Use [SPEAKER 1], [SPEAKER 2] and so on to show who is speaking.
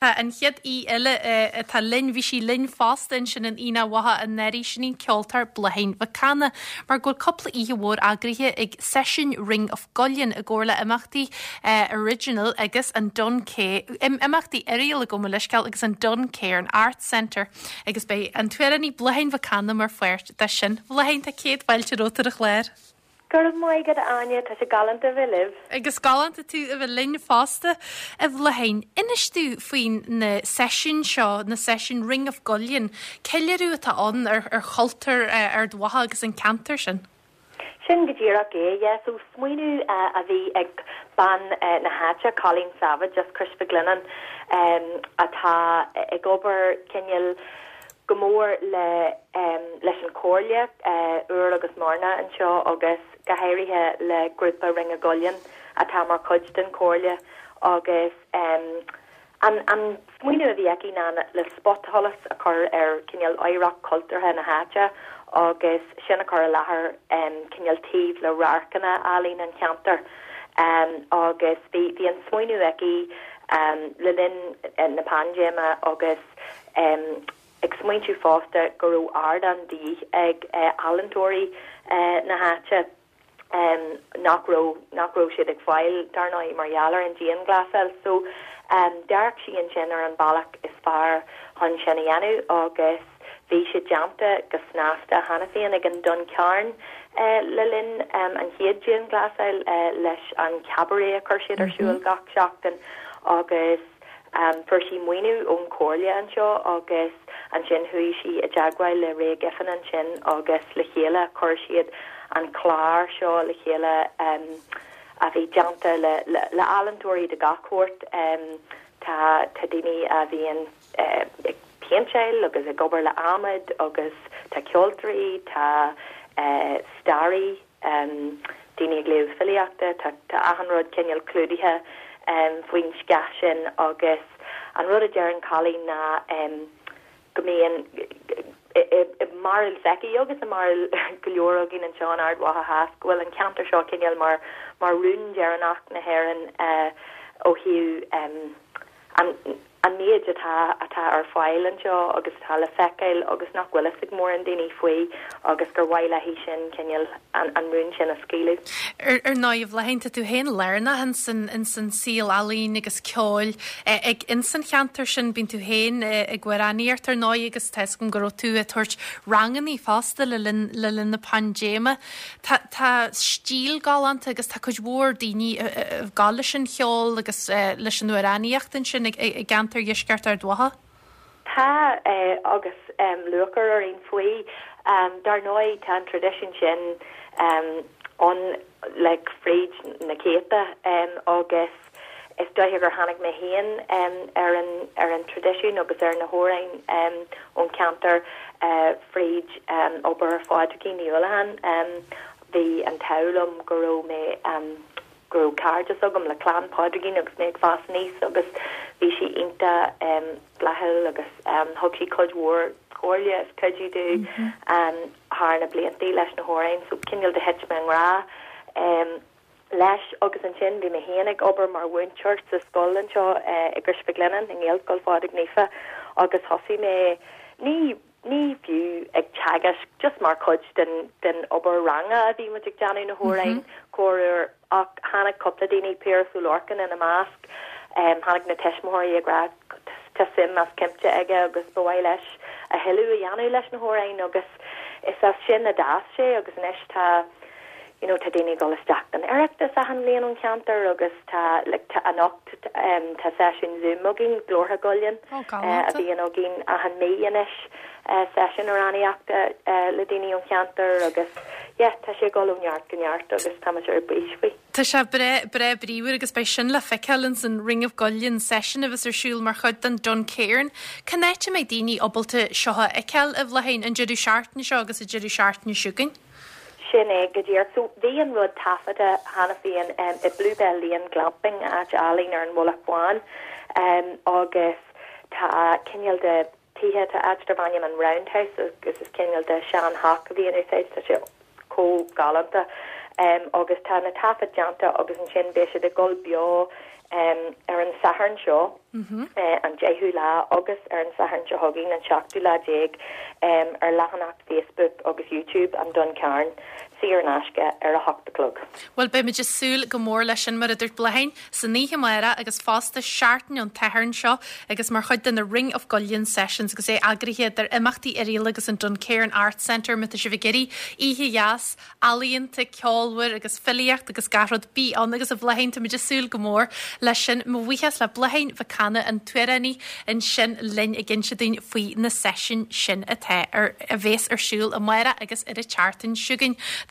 [SPEAKER 1] Tá an chéad aoi eile atá linn, bhí sí linn fosta ansin in Aonach Mhacha anuraidh, sin í an ceoltóir Bláithín Mhic Cana, mar go bhfuil cúpla oíche mhór eagraithe ag Seisiúin Ring of Gullion i gcomhar le imeachtaí Oiriginal agus an Dun imeachtaí Oiriall gabh mo leithscéal agus an Duncairn Arts Centre agus beidh an t-amhránaí Bláithín Mhic Cana mar pháirt de sin. Bláithín, tá céad fáilte romhat ar an chlár.
[SPEAKER 2] Go raibh maith agat, a Áine, tá sé galánta a bheith libh.
[SPEAKER 1] Agus galánta tú a bheith linn fosta, a Bhláithín. Inis domh faoin na seisiúin seo, na seisiúin Ring of Gullion. Ceiliúradh atá ann ar ar chultúr Ard Mhacha agus an ceantar sin.
[SPEAKER 2] Sin go díreach é, yeah. So smaoineamh a bhí ag bean na háite, Colleen Savage as Crois Mhic Lionnáin, atá ag obair cineál go mór le leis an Chomhairle, Iúr agus Mhárna anseo agus go háirithe le grúpa Ring of Gullion atá mar chuid den Chomhairle agus an an smaoineamh a bhí aici ná le spotsholas a chur ar cineál oidhreacht chultúrtha na háite agus sin a chur i láthair cineál taobh le radharcanna álainn an cheantair agus bhí bhí an smaoineamh aici le linn na paindéime agus ag smaointiú fosta go raibh ardán de dhíth ag ealaíontóirí na háite nach raibh, nach raibh siad ag fáil, dar ndóigh, mar gheall ar an dianghlasáil. So, d'amharc sí ansin ar an bealach is fearr chun sin a dhéanamh agus bhí sé déanta go snasta cheana féin ag an Duncairn le linn an chéad dianghlasáil leis an cabaret a chuir siad ar siúl gach seachtain agus Fuair sí maoiniú ón Chomhairle anseo agus ansin chuaigh sí i dteagmháil le Ray Giffin ansin agus le chéile chuir siad an clár seo le chéile a bhí déanta le le ealaíontóirí de gach sórt. Tá tá daoine a bhíonn ag péinteáil agus ag obair le adhmad agus tá ceoltóirí, tá staraí, daoine ag léamh filíochta, tá achan rud cineál clúdaithe faoin scáth sin agus an rud a deireann Colleen ná go mbíonn i mbarúil s'aici agus i mbarúil go leor againn anseo in Ard Mhacha Theas go bhfuil an ceantar seo cineál mar mar rún deireanach na hÉireann ó thaobh an an méid atá atá ar fáil anseo agus atá le feiceáil agus nach bhfuil fhios ag mórán daoine faoi agus gur mhaith léi sin cineál an an rún sin a scaoileadh.
[SPEAKER 1] Ar ar ndóigh, a Bhláithín, tá tú féin lárnach ins an ins an saol ealaíon agus ceoil ag ins an cheantar sin. Bíonn tú féin ag amhránaíocht ar ndóigh agus tá fhios agam go raibh tú ag tabhairt rangannaí fosta le linn le linn na paindéime. Tá tá stíl galánta agus tá cuid mhór daoine ag gabháil leis an cheol agus leis an amhránaíocht ansin i gceantar dheisceart Ard Mhacha.
[SPEAKER 2] Tá, agus lúcháir orainn faoi. Dar ndóigh, tá an traidisiún sin ann like fríd na céadta agus is dóiche gur tháinig mé féin ar an ar an traidisiún agus ar na hamhráin ón cheantar fríd obair Phádraigín Ní Uallacháin. Bhí an t-ádh liom go raibh mé go raibh cairdeas agam le clann Phádraigín agus mé ag fás aníos agus bhí sí iontach flaithiúil agus thug sí cuid mhór comhairle is cuidiú domh thar na blianta leis na hamhráin so cineál de thit mé i ngrá leis agus ansin bhí mé féin ag obair mar mhúinteoir sa scoil anseo i gCrois Mhic Lionnáin, i nGaelscoil Phádraig Naofa agus thosaigh mé, ní, ní fiú ag teagasc, just mar chuid den, den obair ranga a bhí muid ag déanamh na hamhráin corruair ach tháinig cúpla daoine, Piaras Ó Lorcáin ina measc, tháinig na tuismitheoirí ag rá tá suim as cuimse aige agus ba mhaith leis a thuilleadh a dhéanamh leis na hamhráin agus is as sin a d'fhás sé agus anois tá you know tá daoine ag dul isteach don Oireachtas achan bhliain ón cheantar agus tá like tá anocht em tá seisiún Zoom againn Glórtha Gullion
[SPEAKER 1] Oh galánta.
[SPEAKER 2] a bhíonn againn achan mí anois eh seisiún amhránaíochta eh le daoine ón cheantar agus yeah tá sé ag dul ó neart go neart agus tá muid ar bís faoi.
[SPEAKER 1] Tá sé breá breá bríomhar agus beidh sin le feiceáil ins an Ring of Gullion session a bheas ar siúl mar chuid den Duncairn. Cén áit a mbeidh daoine ábalta seo a fheiceáil a Bhláithín, an deireadh seachtaine seo agus an deireadh seachtaine seo chugainn?
[SPEAKER 2] Sin é go díreach. So, bhí an rud taifeadta cheana féin i Bluebell Lane Glamping, áit álainn ar an Mhullach Bhán, agus tá cineál de tithe, tá áit darb ainm an Roundhouse agus is cineál de sean-theach a bhí in úsáid, tá sé chomh galánta. Agus tá na taifid déanta agus ansin beidh siad ag dul beo. Ar an Satharn seo, an deichiú lá, agus ar an Satharn seo chugainn, an seachtú lá déag, ar leathanach Facebook agus YouTube an Dún Cairn, saor in aisce, ar a hocht a chlog.
[SPEAKER 1] Bhuel, beimid ag súil go mór leis sin, mar a dúirt Bláithín, san oíche amárach agus fosta seachtain ón tSatharn seo agus mar chuid de na Ring of Gullion Sessions agus é eagraithe idir Imeachtaí Oirialla agus an Duncairn Arts Centre má tá sibh ag iarraidh oíche dheas ealaíonta, ceolmhar agus filíocht agus gach rud, bí ann agus a Bhláithín, táimid ag súil go mór leis sin. Mo bhuíochas le Bláithín Mhic Cana, an t-amhránaí ansin linn ag inse dúinn faoi na seisiúin sin atá ar, a bhéas ar siúl amárach agus ar an tseachtain seo chugainn.